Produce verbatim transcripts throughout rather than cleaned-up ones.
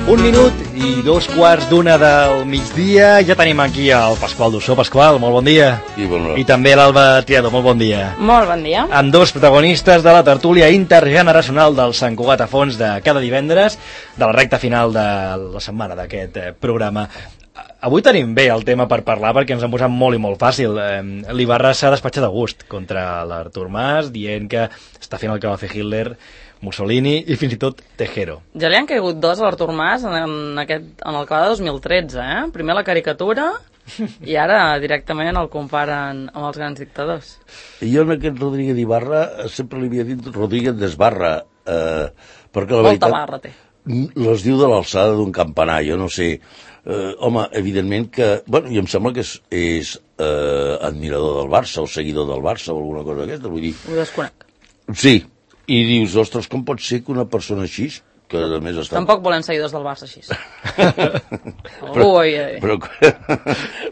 Un minut i dos quarts d'una del migdia. Ja tenim aquí el Pasqual Dussó. Pasqual, molt bon dia. I, bon I també l'Alba Triadó, molt bon dia. Molt bon dia. Amb dos protagonistes de la tertúlia intergeneracional del Sant Cugat a Fons de cada divendres, de la recta final de la setmana d'aquest eh, programa. Avui tenim bé el tema per parlar perquè ens han posat molt i molt fàcil. Eh, L'Ibarra s'ha despatxat a gust contra l'Artur Mas, dient que està fent el que va fer Hitler, Mussolini i fins i tot Tejero. Ja li han caigut dos a l'Artur Mas en, en, aquest, en el clavada de dos mil tretze, eh? Primer la caricatura i ara directament el comparen amb els grans dictadors. Jo en aquest Rodríguez d'Ibarra sempre li havia dit Rodríguez d'Esbarra, eh, perquè la Molta veritat barra té. les diu de l'alçada d'un campanar, jo no sé. Eh, home, evidentment que... Bueno, i em sembla que és, és eh, admirador del Barça o seguidor del Barça o alguna cosa d'aquesta, vull dir... Ho desconec. Sí, i dius, ostres, com pot ser que una persona així, que a més està... Tampoc volem seguidors del Barça així. però, Ui, ui. però,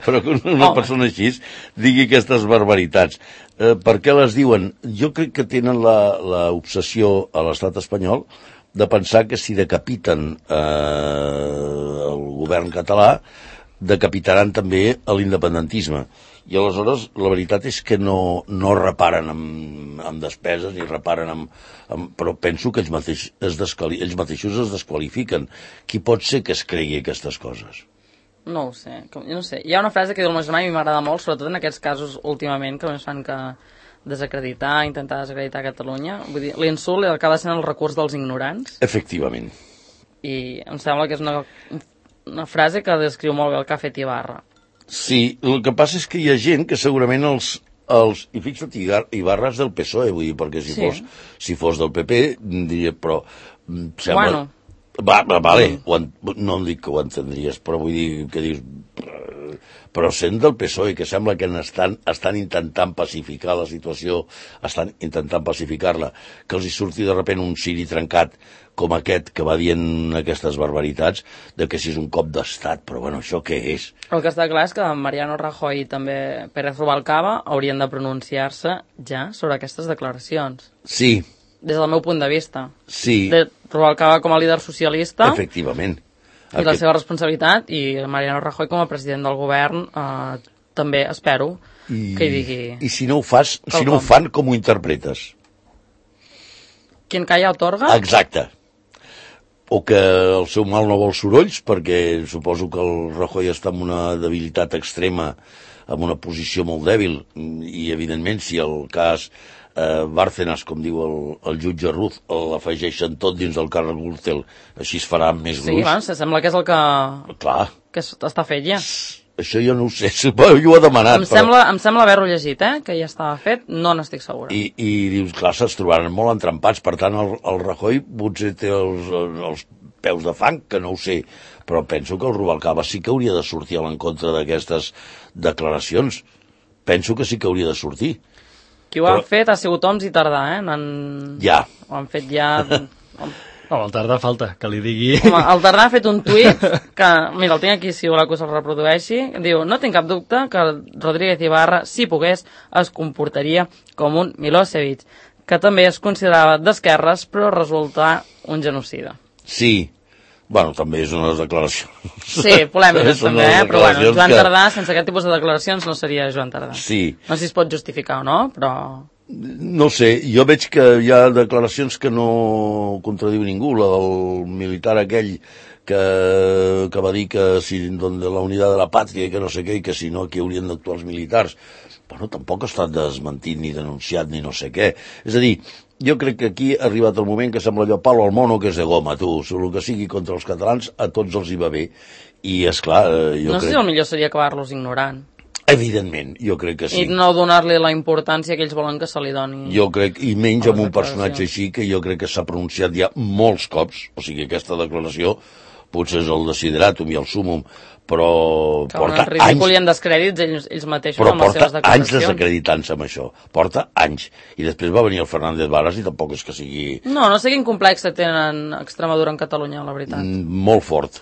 però que una Home. persona així digui aquestes barbaritats. Eh, per què les diuen? Jo crec que tenen l'obsessió a l'estat espanyol de pensar que si decapiten eh, el govern català, decapitaran també l'independentisme. I aleshores la veritat és que no, no reparen amb, amb despeses ni reparen amb, amb... Però penso que ells, mateix es desquali, ells mateixos es desqualifiquen. Qui pot ser que es cregui aquestes coses? No ho sé, com, jo no sé. Hi ha una frase que diu el meu germà i m'agrada molt, sobretot en aquests casos últimament, que només fan que desacreditar, intentar desacreditar Catalunya. Vull dir, l'insult acaba sent el recurs dels ignorants. Efectivament. I em sembla que és una, una frase que descriu molt bé el que ha fet Ibarra. Sí, el que passa és que hi ha gent que segurament els... els i fixa't, Ibarra és del P S O E, vull dir, perquè si, Sí. fos, si fos del P P, diria, però... mm, Sembla... Bueno. Va, va, vale, Mm. ho en, no em dic que ho entendries, però vull dir que dius... Però sent del P S O E, que sembla que estan, estan intentant pacificar la situació, estan intentant pacificar-la, que els hi surti de repent un Siri trencat com aquest que va dient aquestes barbaritats, de que si és un cop d'estat, però bueno, això què és? El que està clar és que Mariano Rajoy i també Pérez Rubalcaba haurien de pronunciar-se ja sobre aquestes declaracions. Sí, Des del meu punt de vista. sí, De Rubalcaba com a líder socialista efectivament. i la seva responsabilitat, i Mariano Rajoy com a president del govern eh, també espero I, que hi digui... I si no ho fas, si Quelcom. no ho fan, com ho interpretes? Quien calla otorga? Exacte. O que el seu mal no vol sorolls, perquè suposo que el Rajoy està en una debilitat extrema, en una posició molt dèbil, i evidentment si el cas eh, Bárcenas, com diu el, el jutge Ruz, l'afegeixen tot dins del càrrec Gürtel, així es farà més Sí, gruix. bueno, sembla que és el que, Clar, que es- està fet ja. això jo no ho sé, suposo que ho ha demanat. Em sembla, em sembla haver-ho llegit, eh? Que ja estava fet, no n'estic segura. I, i dius, clar, se'ls trobaran molt entrampats, per tant el, el Rajoy potser té els, els peus de fang, que no ho sé, però penso que el Rubalcaba sí que hauria de sortir a l'encontre d'aquestes declaracions. Penso que sí que hauria de sortir. Qui ho ha però- fet ha sigut Oms i Tardà, eh? Han... Ja. Ho han fet ja... No, el Tardà falta que li digui... Home, el Tardà ha fet un tuit que, mira, el tinc aquí si voleu que se'l reprodueixi, diu, no tinc cap dubte que Rodríguez Ibarra, si pogués, es comportaria com un Milosevic, que també es considerava d'esquerres, però resulta un genocida. Sí. Bueno, també és unes declaracions. Sí, polèmiques Són també, unes eh? Però bueno, declaracions Joan que- Tardà, sense aquest tipus de declaracions, no seria Joan Tardà. Sí. No sé si es pot justificar o no, però... No sé, jo veig que hi ha declaracions que no contradiu ningú, la del militar aquell que, que va dir que si donde la unitat de la pàtria i que no sé què, i que si no aquí haurien d'actuar els militars. Bueno, tampoc ha estat desmentit ni denunciat ni no sé què. És a dir, jo crec que aquí ha arribat el moment que sembla allò palo al mono que és de goma, tu. Sobre el que sigui contra els catalans, a tots els hi va bé. I, esclar, jo No sé crec... si el millor seria acabar-los ignorant. Evidentment, jo crec que sí. I no donar-li la importància que ells volen que se li doni. Jo crec, i menys a amb les un personatge declaracions. així, que jo crec que s'ha pronunciat ja molts cops, o sigui, aquesta declaració potser és el desideratum i el súmum, però Que porta en ridícul anys, i en descrèdits ells, ells mateixos però amb les porta seves anys declaracions. desacreditant-se amb això, porta anys. I després va venir el Fernández Varas i tampoc és que sigui No, no sé quin complex tenen Extremadura en Catalunya, la veritat. mm, molt fort.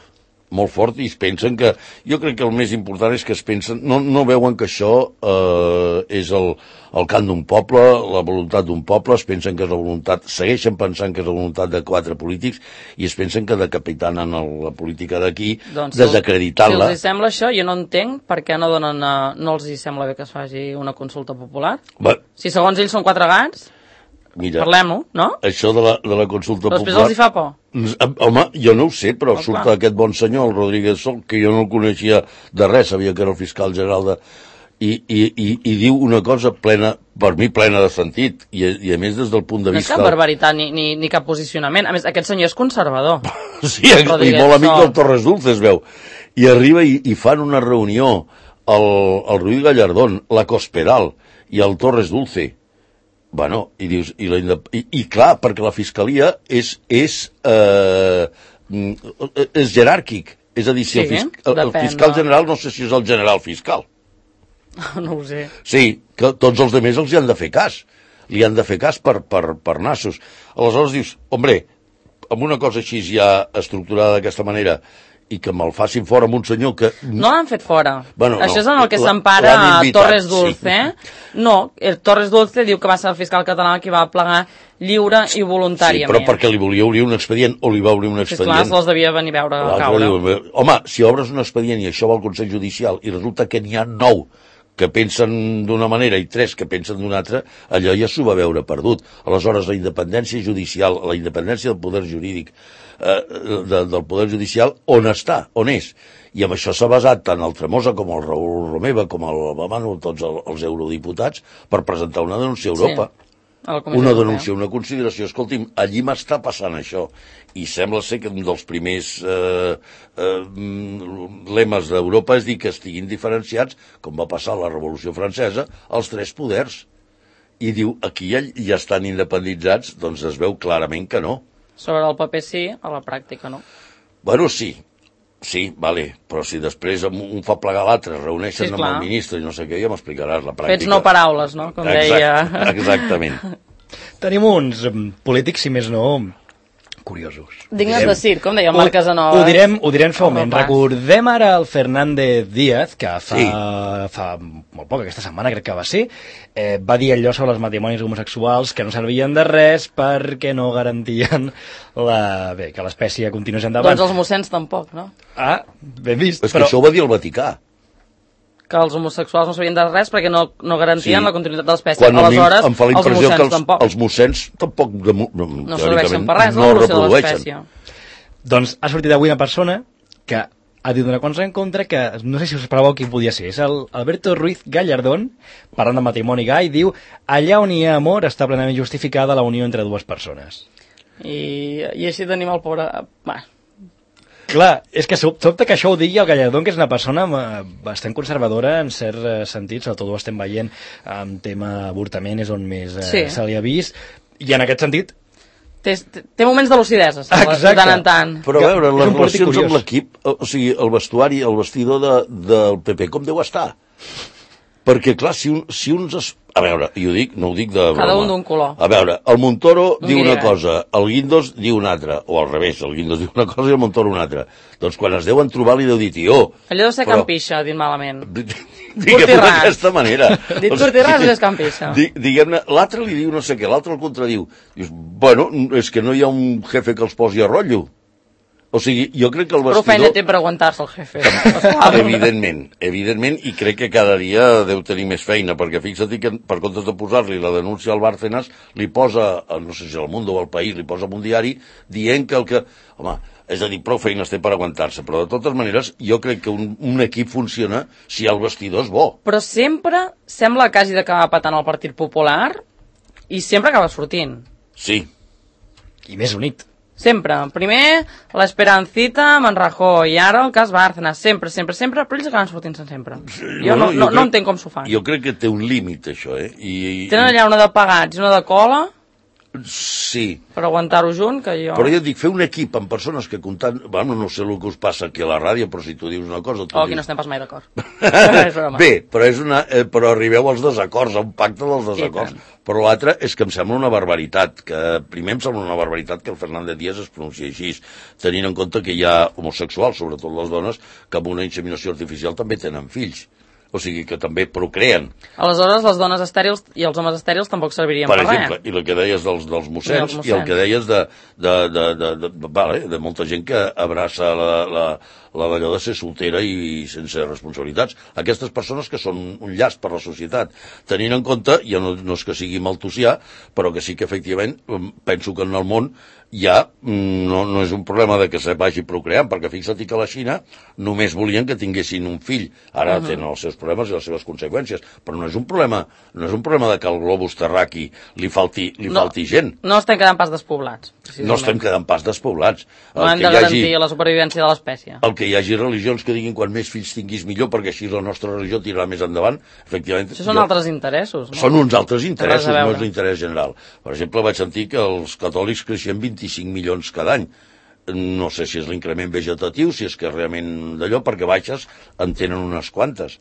molt fort, i es pensen que... Jo crec que el més important és que es pensen... No, no veuen que això eh, és el, el cant d'un poble, la voluntat d'un poble, es pensen que és la voluntat... Segueixen pensant que és la voluntat de quatre polítics i es pensen que decapitanen la política d'aquí, doncs, desacreditant-la. Si els hi sembla això, jo no entenc per què no donen... A, no els hi sembla bé que es faci una consulta popular. Va. Si segons ells són quatre gats... Mira, parlem-ho, no? Això de la, de la consulta però popular... després els hi fa por. Home, jo no ho sé, però oh, surt clar. aquest bon senyor, el Rodríguez Sol, que jo no el coneixia de res, sabia que era el fiscal general de... I, i, i, i diu una cosa plena, per mi plena de sentit, i, i a més des del punt de no vista... No és cap barbaritat ni, ni, ni cap posicionament. A més, aquest senyor és conservador. Sí, i molt amic del Torres Dulce, es veu. I arriba i, i fan una reunió el, el Ruiz Gallardón, la Cospedal i el Torres Dulce. Bueno, i dius, i, la, i, i clar, perquè la fiscalia és, és, eh, és jeràrquic. És a dir, si sí, el, fisc, el, el fiscal general, no sé si és el general fiscal. No ho sé. Sí, que tots els altres els hi han de fer cas. Li han de fer cas per, per, per nassos. Aleshores dius, hombre, amb una cosa així ja estructurada d'aquesta manera, i que me'l facin fora amb un senyor que... No l'han fet fora. Bueno, això no, és en el que s'empara Torres Dulce. Sí. No, el Torres Dulce diu que va ser el fiscal català qui va plegar lliure i voluntàriament. Sí, però perquè li volia obrir un expedient o li va obrir un expedient. Sí, clar, se'ls devia venir a veure a caure. Diu, home, si obres un expedient i això va al Consell Judicial i resulta que n'hi ha nou que pensen d'una manera i tres que pensen d'una altra, allò ja s'ho va veure perdut. Aleshores, la independència judicial, la independència del poder jurídic, eh, de, del poder judicial, on està, on és? I amb això s'ha basat tant el Tremosa com el Raül Romeva, com el Bamano, tots els, els eurodiputats, per presentar una denúncia a Europa. Sí. Una denúncia, una consideració. Escolti'm, allí m'està passant això. I sembla ser que un dels primers eh, eh, lemes d'Europa és dir que estiguin diferenciats, com va passar a la Revolució Francesa, els tres poders. I diu, aquí ja, ja estan independitzats, doncs es veu clarament que no. Sobre el paper sí, a la pràctica no. Bueno, sí. Sí, vale, però si després un fa plegar l'altre, reuneixen sí, amb el ministre i no sé què, ja m'explicaràs la pràctica. Fets no paraules, no? Com Exacte, deia... Exactament. Tenim uns polítics, si més no, curiosos. Dignes de circ, com deia el Marc Casanova. Ho direm, ho direm fa un moment. Recordem ara el Fernández Díaz, que fa, sí. fa molt poc, aquesta setmana crec que va ser, eh, va dir allò sobre els matrimonis homosexuals que no servien de res perquè no garantien la, bé, que l'espècie continués endavant. Doncs els mossens tampoc, no? Ah, ben vist. És però... que això ho va dir el Vaticà. Que els homosexuals no sabien de res perquè no, no garantien sí. la continuïtat de l'espècie. Quan aleshores, em fa la impressió que els, tampoc. els mossens tampoc de, no, no serveixen per res, no reprodueixen. Doncs ha sortit avui una persona que ha dit una cosa en contra que no sé si us esperàveu qui podia ser. És el Alberto Ruiz Gallardón, parlant de matrimoni gai, diu: allà on hi ha amor està plenament justificada la unió entre dues persones. I, i així tenim el pobre... Bah. Clar, és que sobte que això ho digui el Gallardón, que és una persona bastant conservadora en cert sentit, sobretot ho estem veient amb tema avortament, és on més eh, sí. se li ha vist, i en aquest sentit... Té, té moments de lucidesa, de tant en tant. Però a veure, les relacions amb l'equip, o sigui, el vestuari, el vestidor de, del P P, com deu estar? Perquè, clar, si, un, si uns... Es... A veure, jo dic, no ho dic de broma. Cada un d'un color. A veure, el Montoro un diu una cosa, el Guindos diu una altra, o al revés, el Guindos diu una cosa i el Montoro una altra. Doncs quan es deuen trobar li deu dir, tió... Allò deu ser però... campixa, dit malament. Diguem-ho d'aquesta manera. Dit curtiràs és campixa. Diguem-ne, l'altre li diu no sé què, l'altre el contradiu. Dius, bueno, és que no hi ha un jefe que els posi a rotllo. O sigui, jo crec que el vestidor... Però feina té per aguantar-se el jefe. Evidentment, evidentment, i crec que cada dia deu tenir més feina, perquè fixa't que per comptes de posar-li la denúncia al Bárcenas, li posa, no sé si al Mundo o al País, li posa en un diari, dient que el que... Home, és a dir, prou feines té per aguantar-se, però de totes maneres jo crec que un, un equip funciona si el vestidor és bo. Però sempre sembla que hagi d'acabar patant el Partit Popular i sempre acaba sortint. Sí. I més unit. Sempre. Primer, l'Esperancita amb en Rajoy, i ara el cas Bárcenas. Sempre, sempre, sempre, però ells acaben sortint-se sempre. Jo no, no, no, crec, no entenc com s'ho fan. Jo crec que té un límit, això, eh? I, i, Tenen allà una de pagats i una de cola... Sí. Per aguantar-ho junt, que jo... Però jo dic, fer un equip amb persones que comptant... Bueno, no sé el que us passa aquí a la ràdio, però si tu dius una cosa... Tu Oh, aquí dius... no estem pas mai d'acord. Bé, però, és una, eh, però arribeu als desacords, a un pacte dels desacords. Però l'altre és que em sembla una barbaritat, que primer em sembla una barbaritat que el Fernández Díaz es pronunciï així, tenint en compte que hi ha homosexuals, sobretot les dones, que amb una inseminació artificial també tenen fills. O sigui que també procreen. Aleshores, les dones estèrils i els homes estèrils tampoc servirien per, per res. exemple, i el que deies dels, dels mossens, I, i el que deies de, de, de, de, de, de, vale, de molta gent que abraça la, la, la d'allò de ser soltera i sense responsabilitats. Aquestes persones que són un llast per la societat, tenint en compte, ja no, no és que sigui maltusià, però que sí que efectivament penso que en el món ja no, no és un problema de que se vagi procreant, perquè fixa't que a la Xina només volien que tinguessin un fill. Ara uh -huh. tenen els seus problemes i les seves conseqüències, però no és un problema, no és un problema de que al globus terraqui li falti, li no, falti gent. No estem quedant pas despoblats. No estem quedant pas despoblats. No hem de garantir hagi, la supervivència de l'espècie. El que hi hagi religions que diguin quan més fills tinguis millor, perquè així la nostra religió tirarà més endavant, efectivament... Això són jo, altres interessos, no? Són uns altres interessos, no és l'interès general. Per exemple, vaig sentir que els catòlics creixien vint-i-cinc milions cada any. No sé si és l'increment vegetatiu, si és que realment d'allò, perquè baixes en tenen unes quantes.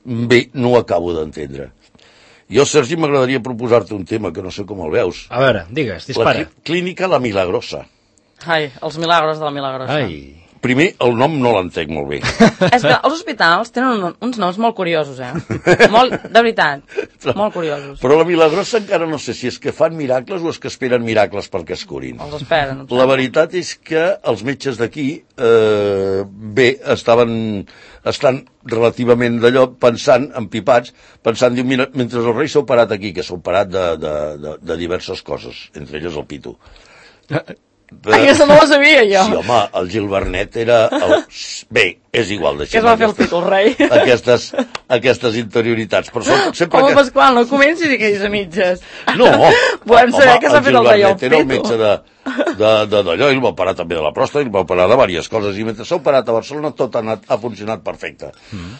Bé, no ho acabo d'entendre. Jo, Sergi, m'agradaria proposar-te un tema que no sé com el veus. A veure, digues, dispara. La clínica La Milagrosa. Ai, els milagros de la Milagrosa. Ai... Primer, el nom no l'entenc molt bé. És que els hospitals tenen un, uns noms molt curiosos, eh? Molt, de veritat, molt curiosos. Però la Milagrosa encara no sé si és que fan miracles o és que esperen miracles perquè es curin. Els esperen. La veritat és que els metges d'aquí, eh, bé, estaven, estan relativament d'allò pensant, empipats, pensant, diu, mira, mentre el rei s'ha operat aquí, que s'ha operat de, de, de, de diverses coses, entre elles el pito. De... Aquesta no la sabia, jo. Sí, home, el Gil Bernet era... El... Bé, és igual. Què es va fer el títol rei? Aquestes, aquestes interioritats. Però són, sempre home, que... Pasqual, no comencis aquells a mitges. No, volem saber què s'ha fet el d'allò. El Gil Bernet era el metge de d'allò, ell va operar també de la pròstata, ell va operar de diverses coses, i mentre s'ha operat a Barcelona tot ha, anat, ha funcionat perfecte. Mm.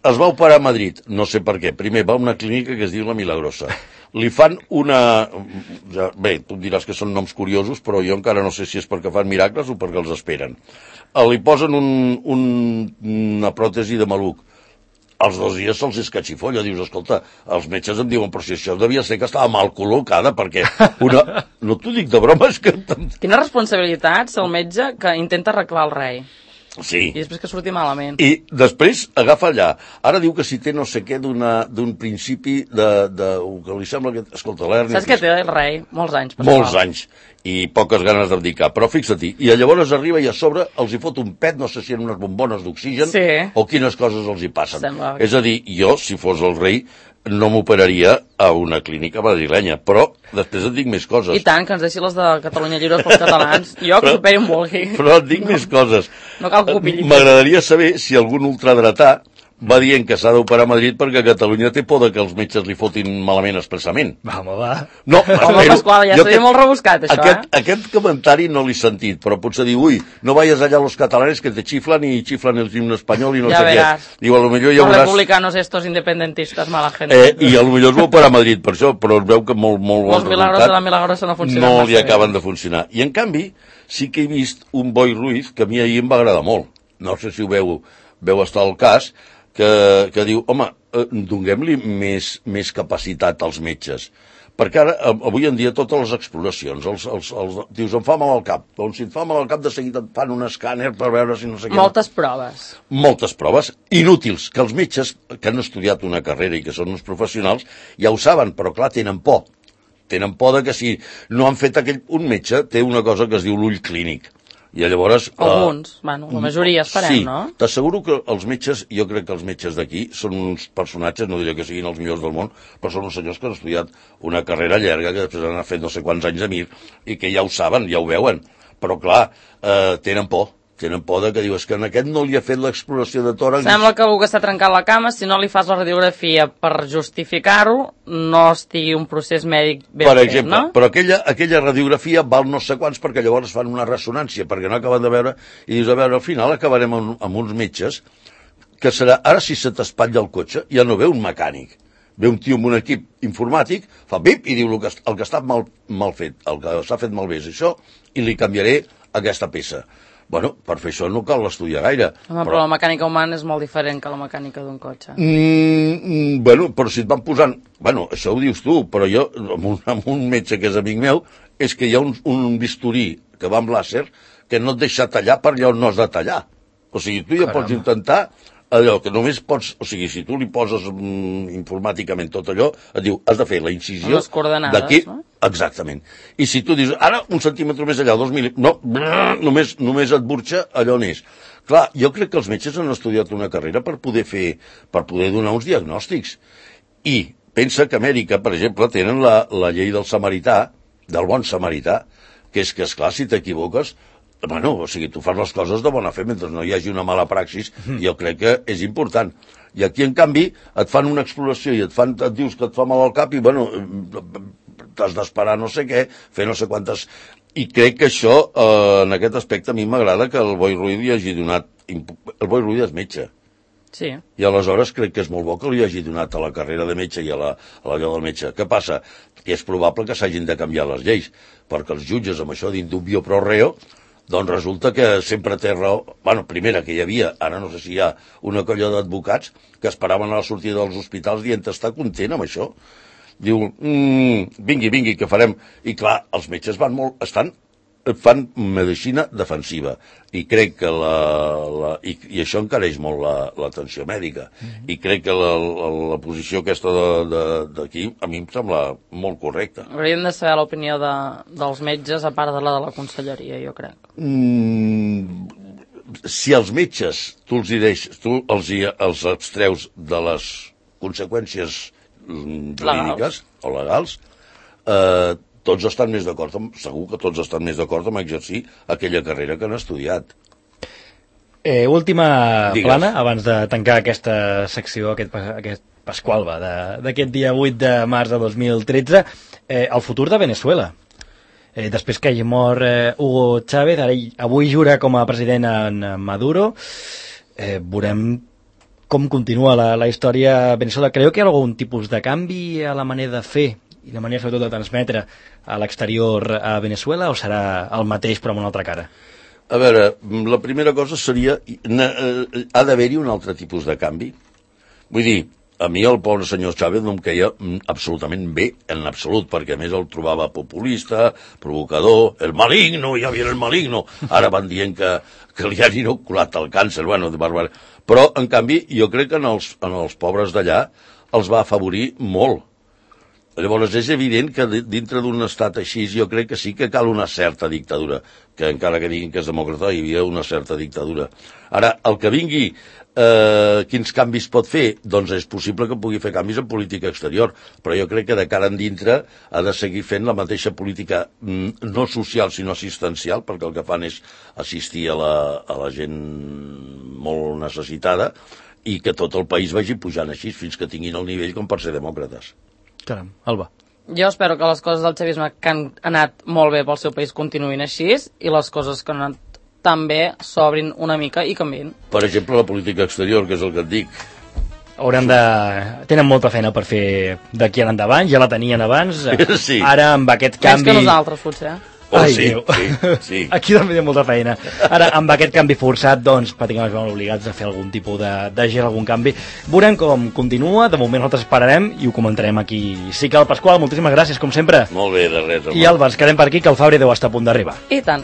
Es va operar a Madrid, no sé per què. Primer va a una clínica que es diu La Milagrosa. Li fan una... Bé, tu em diràs que són noms curiosos, però jo encara no sé si és perquè fan miracles o perquè els esperen. Li posen un, un, una pròtesi de maluc. Els dos dies se'ls escatxifolla. Dius, escolta, els metges em diuen, però si això devia ser que estava mal col·locada, perquè una... No t'ho dic de broma, és que... Quina responsabilitat ser el metge que intenta arreglar el rei. Sí. I després que surti malament. I després agafa allà. Ara diu que si té no sé què d'un principi de, de... que li sembla que... Escolta, l'hernia... Saps què té el rei? Molts anys. Molts anys. I poques ganes d'abdicar. Però fixa-t'hi, i llavors arriba i a sobre els hi fot un pet, no sé si en unes bombones d'oxigen, sí. o quines coses els hi passen. Sembla... És a dir, jo, si fos el rei, no m'operaria a una clínica madrilenya, però després et dic més coses. I tant, que ens deixi les de Catalunya Lliures pels catalans. Jo que superi un volgui. Però et dic no, més coses. No cal que opini. M'agradaria saber si algun ultradretà va dient que s'ha d'operar a Madrid perquè Catalunya té por de que els metges li fotin malament expressament. Va, home, va. No, home, Pasqual, ja seria molt rebuscat, això, aquest, eh? Aquest comentari no l'he sentit, però potser diu, ui, no vayas allá los catalanes que te chiflan y chiflan el himno espanyol i no ja sé veràs. Què. Diu, a lo millor ja los veuràs... republicanos estos independentistas, mala gente. Eh, I a lo millor es va operar a Madrid per això, però es veu que molt, molt bon Los milagros de la Milagrosa no funcionen. No li acaben de funcionar. I en canvi, sí que he vist un Boi Ruiz que a mi ahir em va agradar molt. No sé si ho veu, veu estar al cas, que, que diu, home, eh, donem-li més, més capacitat als metges. Perquè ara, avui en dia, totes les exploracions, els, els, els, dius, em fa mal al cap. Doncs si et fa mal al cap, de seguida et fan un escàner per veure si no sé què. Moltes proves. Moltes proves, inútils, que els metges que han estudiat una carrera i que són uns professionals ja ho saben, però clar, tenen por. Tenen por de que si no han fet aquell... Un metge té una cosa que es diu l'ull clínic. I llavors... Alguns, uh, bueno, la majoria esperem, sí, no? Sí, t'asseguro que els metges, jo crec que els metges d'aquí són uns personatges, no diré que siguin els millors del món, però són uns senyors que han estudiat una carrera llarga, que després han fet no sé quants anys a mir, i que ja ho saben, ja ho veuen. Però clar, eh, tenen por. Tenen por de que diu, és que en aquest no li ha fet l'exploració de tòrax. Sembla que algú que està trencant la cama, si no li fas la radiografia per justificar-ho, no estigui un procés mèdic ben per fet, exemple, no? Però aquella, aquella radiografia val no sé quants perquè llavors fan una ressonància, perquè no acaben de veure, i dius, a veure, al final acabarem amb, amb uns metges que serà, ara si se t'espatlla el cotxe, ja no ve un mecànic, ve un tio amb un equip informàtic, fa bip i diu el que, el que està mal, mal fet, el que s'ha fet malbé és això, i li canviaré aquesta peça. Bueno, per fer això no cal estudiar gaire. Home, però... però la mecànica humana és molt diferent que la mecànica d'un cotxe. Mm, mm, bueno, però si et van posant... Bueno, això ho dius tu, però jo, amb un, amb un metge que és amic meu, és que hi ha un, un bisturí que va amb làser que no et deixa tallar per allà on no has de tallar. O sigui, tu ja Caramba. Pots intentar allò que només pots... O sigui, si tu li poses mm, informàticament tot allò, et diu, has de fer la incisió d'aquí... No? Exactament. I si tu dius, ara un centímetre més allà, dos mil... No, brrr, només, només et burxa allò on és. Clar, jo crec que els metges han estudiat una carrera per poder fer, per poder donar uns diagnòstics. I pensa que a Amèrica, per exemple, tenen la, la llei del samarità, del bon samarità, que és que, esclar, si t'equivoques, bueno, o sigui, tu fas les coses de bona fe mentre no hi hagi una mala praxis, jo crec que és important. I aquí, en canvi, et fan una exploració i et, fan, et dius que et fa mal al cap i, bueno, t'has d'esperar no sé què, fer no sé quantes... I crec que això, eh, en aquest aspecte, a mi m'agrada que el Boi Ruiz li hagi donat... El Boi Ruiz és metge. Sí. I aleshores crec que és molt bo que li hagi donat a la carrera de metge i a la, a la del metge. Què passa? Que és probable que s'hagin de canviar les lleis, perquè els jutges amb això d'indubio pro reo, doncs resulta que sempre té raó. Bueno, primera, que hi havia, ara no sé si hi ha una colla d'advocats que esperaven a la sortida dels hospitals dient estar content amb això. Diu, mmm, vingui, vingui, que farem. I clar, els metges van molt, estan, fan medicina defensiva. I crec que la... la i, i això encareix molt l'atenció la, mèdica. Mm-hmm. I crec que la, la, la posició aquesta d'aquí, a mi em sembla molt correcta. Hauríem de saber l'opinió de, dels metges, a part de la de la conselleria, jo crec. Mm, si els metges, tu els, deix, tu els, els abstreus de les conseqüències jurídiques o legals, eh, tots estan més d'acord, segur que tots estan més d'acord amb exercir aquella carrera que han estudiat. Eh, última Digues. plana, abans de tancar aquesta secció, aquest, aquest Pasqualba d'aquest dia vuit de març de dos mil tretze, eh, el futur de Venezuela. Eh, després que hagi mort eh, Hugo Chávez, ara, avui jura com a president en Maduro, eh, veurem com continua la, la història a Venezuela. Creu que hi ha algun tipus de canvi a la manera de fer i la manera sobretot de transmetre a l'exterior a Venezuela, o serà el mateix però amb una altra cara? A veure, la primera cosa seria, ha d'haver-hi un altre tipus de canvi. Vull dir, a mi el pobre senyor Chávez no em queia absolutament bé, en absolut, perquè a més el trobava populista, provocador, el maligno, ja havia el maligno. Ara van dient que, que li han inoculat el càncer, bueno, de bàrbar. Però, en canvi, jo crec que en els, en els pobres d'allà els va afavorir molt. Llavors és evident que dintre d'un estat així jo crec que sí que cal una certa dictadura, que encara que diguin que és demòcrata hi havia una certa dictadura. Ara, el que vingui, eh, quins canvis pot fer? Doncs és possible que pugui fer canvis en política exterior, però jo crec que de cara en dintre ha de seguir fent la mateixa política no social sinó assistencial, perquè el que fan és assistir a la, a la gent molt necessitada i que tot el país vagi pujant així fins que tinguin el nivell com per ser demòcrates. Caram, Alba. Jo espero que les coses del xavisme que han anat molt bé pel seu país continuïn així i les coses que han anat tan bé s'obrin una mica i canviïn. Per exemple, la política exterior, que és el que et dic. Hauran de... Tenen molta feina per fer d'aquí en endavant, ja la tenien abans. Sí. Ara, amb aquest canvi... Més que nosaltres, potser. Oh, Ai, sí, Déu. sí, sí. Aquí també hi ha molta feina. Ara, amb aquest canvi forçat, doncs, pràcticament es veuen obligats a fer algun tipus de, de gel, algun canvi. Veurem com continua, de moment nosaltres esperarem i ho comentarem aquí. Sí que el Pasqual, moltíssimes gràcies, com sempre. Molt bé, de res. I Alba, ens quedem per aquí, que el Fabri deu estar a punt d'arribar. I tant.